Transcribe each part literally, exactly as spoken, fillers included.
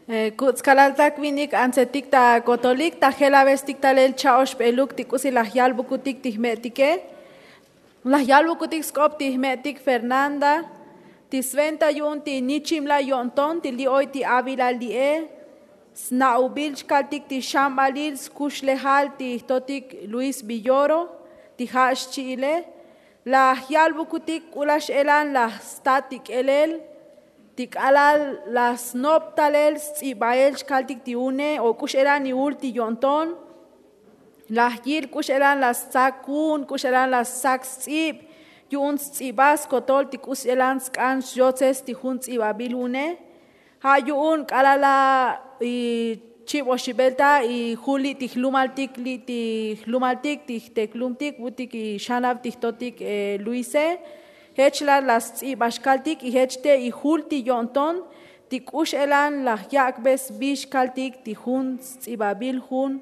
Kuts' kalaltak vinik antsetik ta kotolik ta jelabestik talel cha'oxbeluk ti k'usi laj yalbukutik ti jme'tike. Laj yalbukutik sk'op ti jme'tik fernanda, ti sventa yu'un ti nichimla yo'nton ti li' oy ti avila li'e. Sna'ubil chkaltik ti xambalil skuxlejal ti jtotik luis villoro, ti ja' xchi'ile. Laj yalbukutik k'u laj x'elan laj stat ti k'elel ti k'alal laj snop talel sts'ibael chkaltik ti une o k'u x'elan ivul ti yo'nton. Laj yil k'u x'elan laj stsak un k'u x'elan laj stsak sts'ib. Yu'un sts'iba skotol ti k'u x'elan sk'an xyotses ti jun ts'ibabil une. Ja' yu'un k'alal laj ichib oxibel ta ijul li' ti jlumaltik li' ti jlumaltik ti jteklumtik vu'utik ixanab ti jtotik luise. Jech la laj sts'iba xkaltik y jech te ijul ti yo'nton ti k'u x'elan laj yak'be sbi xkaltik ti jun sts'ibabil jun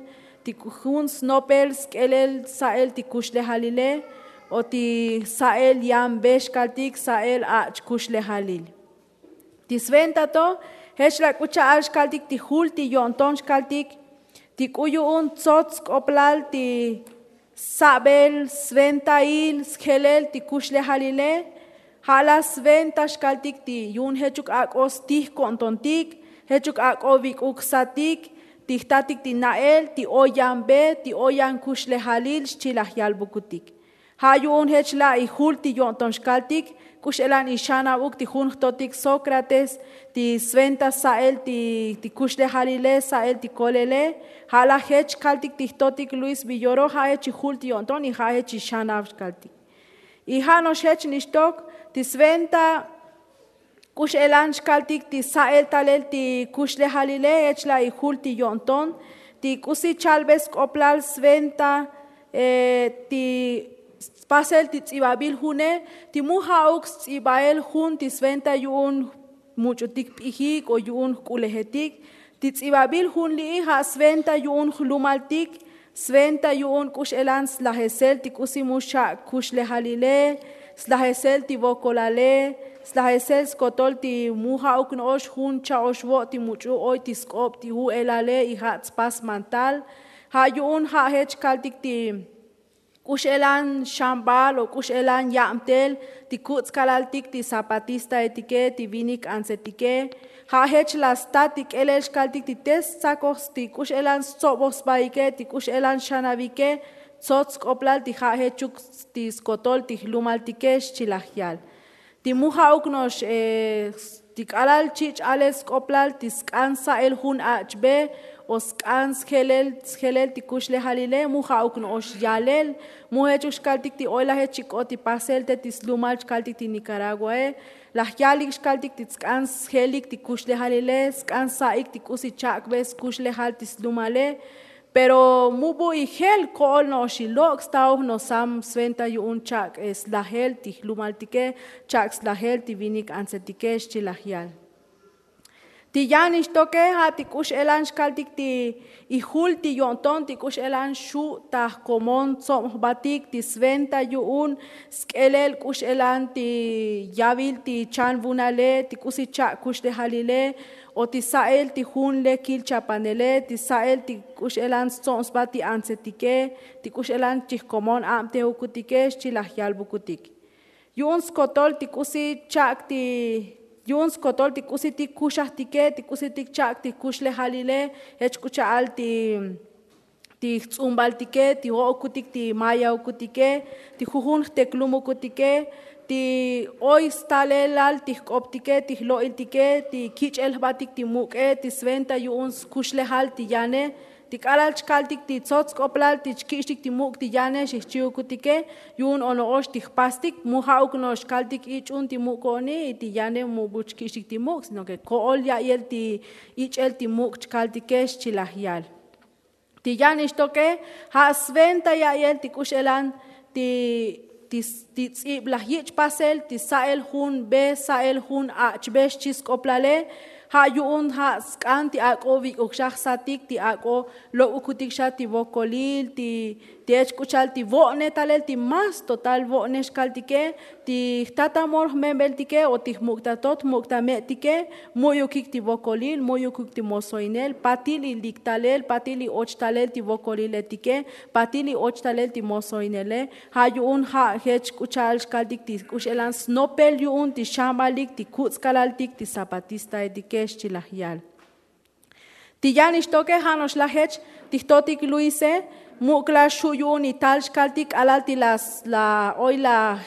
ti jun snopel sk'elel sa'el ti kuxlejalile o ti sa'el yanbe xkaltik sa'el ach' kuxlejalil. Ti sventa to jech la k'u cha'al xkaltik ti jul ti yo'nton xkaltik ti k'u yu'un tsots sk'oplal ti sabel sventail sjelel ti kuxlejalile. Ja' la sventa xkaltik ti yu'un jechuk ak'o stij ko'ntontik, jechuk ak'o vik'uk satik ti jtatik ti na'el ti oy yanbe ti oy yan kuxlejalil xchi laj yalbukutik. Ja' yu'un jech la' ijul ti yo'nton xkaltik k'u x'elan ixanabuk ti jun jtotik sókrates ti sventa sa'el ti kuxlejalile sa'el ti kolele. Ja' la jech kaltik ti jtotik luis villoro ja' jech ijul ti yo'nton y ja' jech ixanab xkaltik. Y ja' no'ox jech nixtok ti sventa k'u x'elan xkaltik ti sa'el talel ti kuxlejalile jech la' ijul ti yo'nton ti k'usi chalbe sk'oplal sventa ti spasel ti ts'ibabil june ti mu ja'uk sts'ibael jun ti sventa yu'un much'utik p'ijik o yu'un jk'ulejetik. Ti ts'ibabil jun li'i ja' sventa yu'un jlumaltik, sventa yu'un k'u x'elan slajesel ti k'usi mu xcha' kuxlejalile, slajesel ti vokolale, slajesel skotol ti mu ja'uk no'ox jun cha'ox vo' ti much'u oy ti sk'ob ti ju'elale y ja' tspas mantal. Ja' yu'un ja' jech kaltik ti k'u x'elan xambal o k'u x'elan yabtel ti kuts' kalaltik ti zapatistaetike ti vinik antsetike. Ja' jech la stat ti k'elel xkaltik ti te stsakoj ti k'u x'elan stsoboj sbaike ti k'u x'elan xanabike tsots sk'oplal ti ja' jechuk ti skotol ti jlumaltike xchi laj yal. Ti mu ja'uk no'ox ti k'alal chich' alel sk'oplal ti sk'an sa'el jun ach'be o sk'an sjelel sjelel ti kuxlejalile mu ja'uk no'ox yalel. Mu jechuk xkaltik ti oy laj jech chik'ot ti pasel te ti slumal chkaltik ti nikaraguae. Laj yalik xkaltik ti tsk'an sjelik ti kuxlejalile sk'an sa'ik ti k'usi chak'be skuxlejal ti slumale. Pero mu bu ijel ko'ol no'ox ilok' sta oj nosam sventa yu'un chak' slajel ti jlumaltike, chak' slajel ti vinik antsetike xchi laj yal. Ti yan ixtoke ja' ti k'u x'elan xkaltik ti ijul ti yo'nton ti k'u x'elan xu' ta jkomon tsob jbatik ti sventa yu'un sk'elel k'u x'elan ti yavil ti chanvunale ti k'usi chak' kuxlejalile o ti sa'el ti jun lekil chapanele ti sa'el ti k'u x'elan stsob sba ti antsetike ti k'u x'elan chijkomon abtejukutike xchi laj yalbukutik. Yu'un skotol ti k'usi chak' ti yu'un skotol ti k'usitik kuxajtike ti k'usitik chak' ti kuxlejalile jech k'u cha'al ti ti jts'umbaltike ti jo'okutik ti maya'ukutike ti jujun jteklumukutike ti oy stalelal ti jk'optike ti jlo'iltike ti kich'el jbatik ti muk'e ti sventa yu'un skuxlejal ti yane. Ti k'alal chkaltik ti tsots sk'oplal ti chkich'tik ti muk' ti yane xijchi'ukutike yu'un o no'ox ti jpastik mu ja'uk no'ox kaltik ich'un ti muk' ko'oni y ti yane mu bu chkich'tik ti muk' sino ke ko'ol ya'yel ti ich'el ti muk' chkaltike xchi laj yal. Ti yan ixtoke ja' sventa ya'yel ti k'u x'elan ti ti ts'ib laj yich' pasel ti sa'el jun be sa'el jun ach' be xchi sk'oplale. Ja' yu'un ja' sk'an ti ak'o vik'uk xa jsatik ti ak'o lok'ukutik xa ti vokolil ti Ti ech k'u cha'al ti vo'ne talel ti más total vo'ne xkaltike, ti jtatamor jme'beltike o ti jmuk'tatot jmuk'tame'tike, mu'yukik ti vokolil, mu'yukik ti mosoinel, patil ilik talel, patil i och talel ti vokoliletike, patil i och talel ti mosoinele. Ja' yu'un ja' jech k'u cha'al xkaltik ti k'u x'elan snopel yu'un ti xambalik ti kuts' kalaltik ti zapatistaetike, xchi laj yal. Ti yan ixtoke ja' no'ox laj jech ti jtotik luise, muk' laj xu' yu'un ital xkaltik k'alal ti la oy laj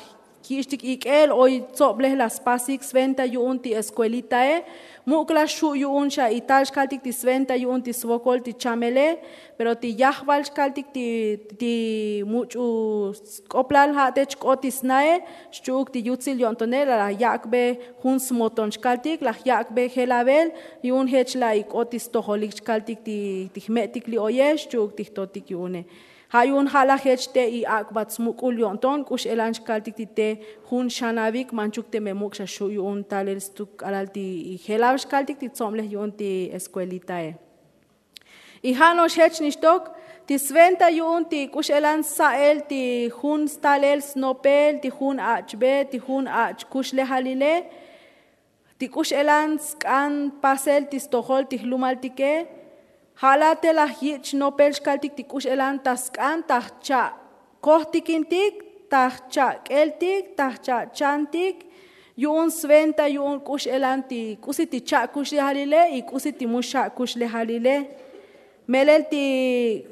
yich'tik ik'el oy tsoblej laj spasik sventa yu'un ti eskuelitae. Muk' laj xu' yu'un xa ital xkaltik ti sventa yu'un ti svokol ti chamele. Pero ti yajval xkaltik ti much'u sk'oplal ja' te chk'ot ti snae, xchu'uk ti yutsil yo'ntone la laj yak'be jun smoton xkaltik laj yak'be jelavel. Yu'un jech la ik'ot ti stojolik xkaltik ti jme'tik li' oye xchu'uk ti jtotik yu'une. Ja' yu'un ja' laj jech te i ak'bat smuk'ul yo'nton k'u x'elan xkaltik ti te jun xanavik manchuk teme muk' xa xu' yu'un talel stuk k'alal ti jelav xkaltik ti tsoblej yu'un ti eskuelitae. Y ja' no'ox jech nixtok ti sventa yu'un ti k'u x'elan sa'el ti jun stalel snopel ti jun ach'be ti jun ach' kuxlejalile, ti k'u x'elan sk'an pasel ti stojol ti jlumaltike. Ja' laj te laj yich' nopel xkaltik ti k'u x'elan ta sk'an ta jcha' kojtikintik, ta jcha' k'eltik, ta jcha' chantik. Yu'un sventa yu'un k'u x'elan ti k'usi ti cha' kuxlejalile y k'usi ti mu xa' kuxlejalile. Melel ti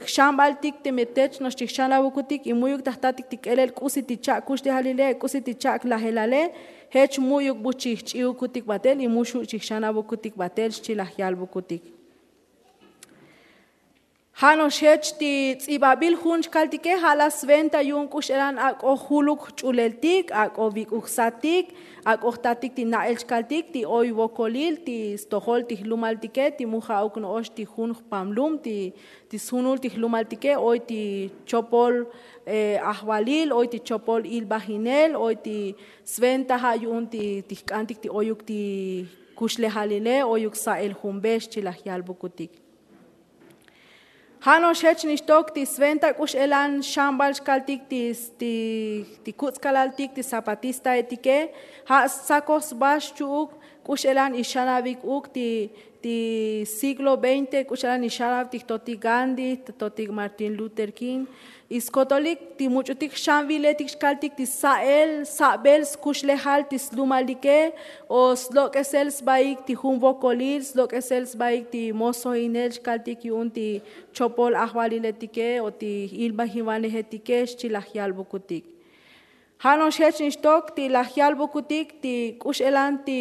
jxanbaltik teme tech no'ox ti jxanavukutik y mu'yuk ta jtatik ti k'elel k'usi ti cha' kuxlejalile, k'usi ti cha' lajelale, jech mu'yuk bu chi jch'iukutik batel y mu xu' chi jxanavukutik batel xchi laj yalvukutik. Ja' no'ox jech ti ts'ibabil jun xkaltike ja' laj sventa yu'un k'u x'elan ak'o juluk jch'uleltik, ak'o vik'uk satik, ak'o jtatik ti na'el xkaltik ti oy vokolil ti stojol ti jlumaltike ti mu ja'uk no'ox ti jun jpamlum ti sjunul ti jlumaltike oy ti chopol ajvalil, oy ti chopol ilbajinel, oy ti sventa ja' yu'un ti jk'antik ti oyuk ti kuxlejalile, oyuk sa'el jun be xchi laj yalvukutik. Ja' no'ox jech nixtok ti sventa k'u x'elan xambal xkaltik ti kuts' kalaltik ti zapatistaetike. Ja' stsakoj sba xchu'uk k'u x'elan ixanavik uk ti siglo veinte k'u x'elan ixanav ti jtotik gandhi, ti jtotik martin luther king. Y skotolik ti much'utik xanviletik xkaltik ti sa'el sabel skuxlejal ti slumalike, o slok'esel sbaik ti jun vokolil, slok'esel sbaik ti mosoinel xkaltik yu'un ti chopol ajvaliletike o ti ilbajivanejetike xchi laj yalvukutik. Ja' no'ox jech nixtok ti laj yalvukutik ti k'u x'elan ti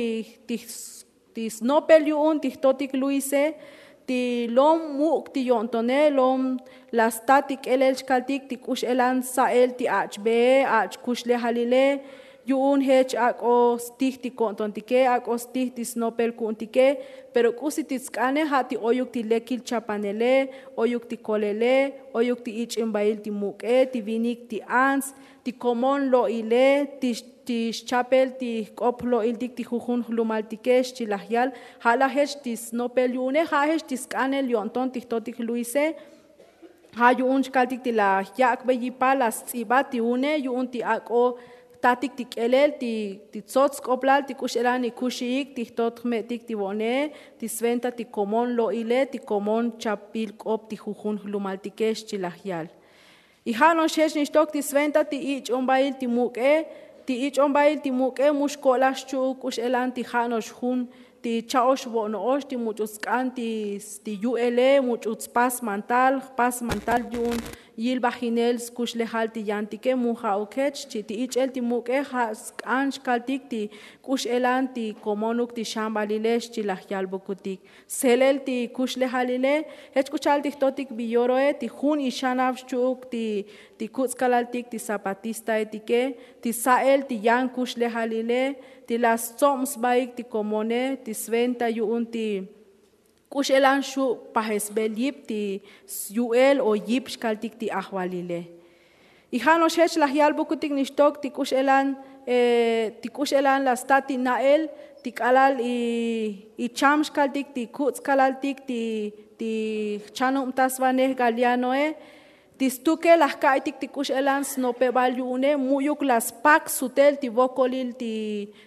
ti snopel yu'un ti jtotik luise, ti lom muk' ti yo'ntone lom la sta ti k'elel xkaltik ti k'u x'elan sa'el ti ach'bee, ach' kuxlejalile. Yu'un jech ak'o stij ti ko'ntontike, ak'o stij ti snopel ku'untike. Pero k'usi ti tsk'ane ja' ti oyuk ti lekil chapanele, oyuk ti kolele, oyuk ti ich'imbail ti muk'e, ti vinik ti ants, ti komon lo'ile, ti xchapel ti jk'op jlo'iltik ti jujun jlumaltike xchi laj yal. Ja' laj jech ti snopel yu'une ja' jech ti sk'anel yo'nton ti jtotik luise. Ja' yu'un xkaltik ti laj yak'be yipal laj sts'ibat ti une yu'un ti ak'o jtatik ti k'elel ti tsots sk'oplal ti k'u x'elan ikuxiik ti jtot jme'tik ti vo'nee, ti sventa ti komon lo'ile, ti komon chapbil k'op ti jujun jlumaltike xchi laj yal. Y ja' no'ox jech nixtok ti sventa ti ich'ombail ti muk'e. Ti ich'ombail ti muk'e mu xko'laj xchu'uk k'u x'elan ti ja' no'ox jun ti cha'ox vo'no'ox ti much'u tsk'an ti yu'ele, much'u tspas mantal, jpas mantal yu'un yilbajinel skuxlejal ti yantike mu ja'uk jech. Chi' ti ich'el ti muk'e ja' sk'an xkaltik ti k'u x'elan ti komonuk ti xambalile xchi laj yalbukutik. Sjelel ti kuxlejalile jech k'u cha'al ti jtotik bi yoroe ti jun ixanav xchu'uk ti kuts' kalaltik ti zapatistaetike, ti sa'el ti yan kuxlejalile, ti la stsob sbaik ti komone, ti sventa yu'un ti k'u x'elan xu' pajesbel yip ti syu'el o yip xkaltik ti ajvalile. Y ja' no'ox jech laj yalbukutik nixtok ti k'u x'elan ti k'u x'elan la sta ti na'el ti k'alal icham xkaltik ti kuts' kalaltik ti jchanubtasvanej galianoe. Ti stuke laj ka'aytik ti k'u x'elan snopebal yu'une mu'yuk la spak sutel ti vokolil ti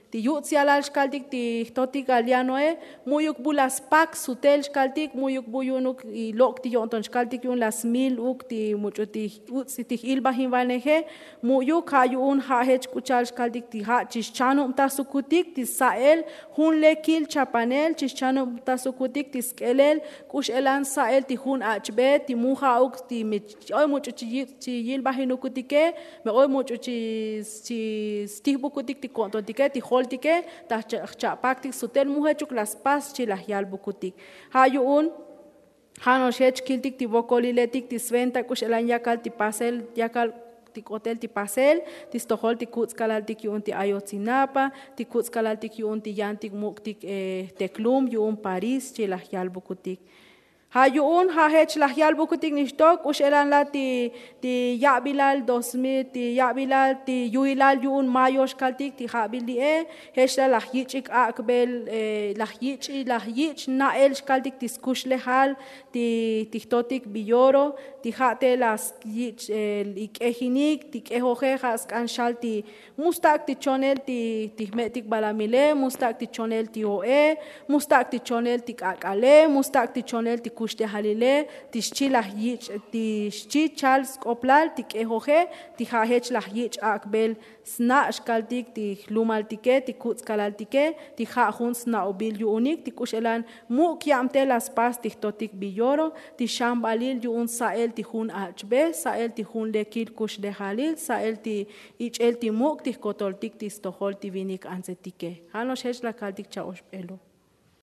ti yuts' yalal xkaltik ti jtotik alianoe. Mu'yuk bu la spak sutel xkaltik mu'yuk bu yu'unuk lok' ti yo'nton xkaltik yu'un la smil uk ti much'u ti uts' ti j'ilbajinvaneje. Mu'yuk ja' yu'un ja' jech k'u cha'al xkaltik ti ja' chi xchanubtasukutik ti sa'el jun lekil chapanel chi xchanubtasukutik ti sk'elel k'u x'elan sa'el ti jun ach'be ti mu ja'uk ti mi oy much'u chi yilbajinukutike. Me oy much'u chi stijbukutik ti ko'ntontike ti joltike ta jcha'paktik sutel mu jechuk la spas chi laj yalbukutik. Ja' yu'un ja' no'ox jech kiltik ti vokoliletik ti sventa k'u x'elan yakal ti pasel yakal ti k'otel ti pasel ti stojol ti kuts' kalaltik yu'un ti ayotzinapa ti kuts' kalaltik yu'un ti yantik muk'tik jteklum yu'un parís chi laj yalbukutik. Ja' yu'un ja' jech laj yalbukutik nixtok k'u x'elan la ti ti ya'bilal dos mil ti ya'bilal ti yu'ilal yu'un mayo xkaltik ti ja'bil li'e. Jech la laj yich'ik ak'bel laj yich' laj yich' na'el xkaltik ti skuxlejal ti jtotik biyoro ti ja' te la yich' ik'ejinik ti k'ejoje ja' sk'an xal ti mu stak' ti chonel ti jme'tik balamile mu stak' ti chonel ti o'e mu stak' ti chonel ti k'ak'ale mu stak' ti chonel ti kuxlejalile ti xchi laj yich' ti xchi chal sk'oplal ti k'ejoje ti ja' jech laj yich' ak'bel sna' xkaltik ti jlumaltike ti kuts' kalaltike ti ja' jun sna'obil yu'unik ti k'u x'elan muk' yabtel la spas ti jtotik biyoro ti xambalil yu'un sa'el ti jun ach'be sa'el ti jun lekil kuxlejalil sa'el ti ich'el ti muk' ti jkotoltik ti stojol ti vinik antsetike. Ja' no'ox jech la kaltik cha'oxbelo.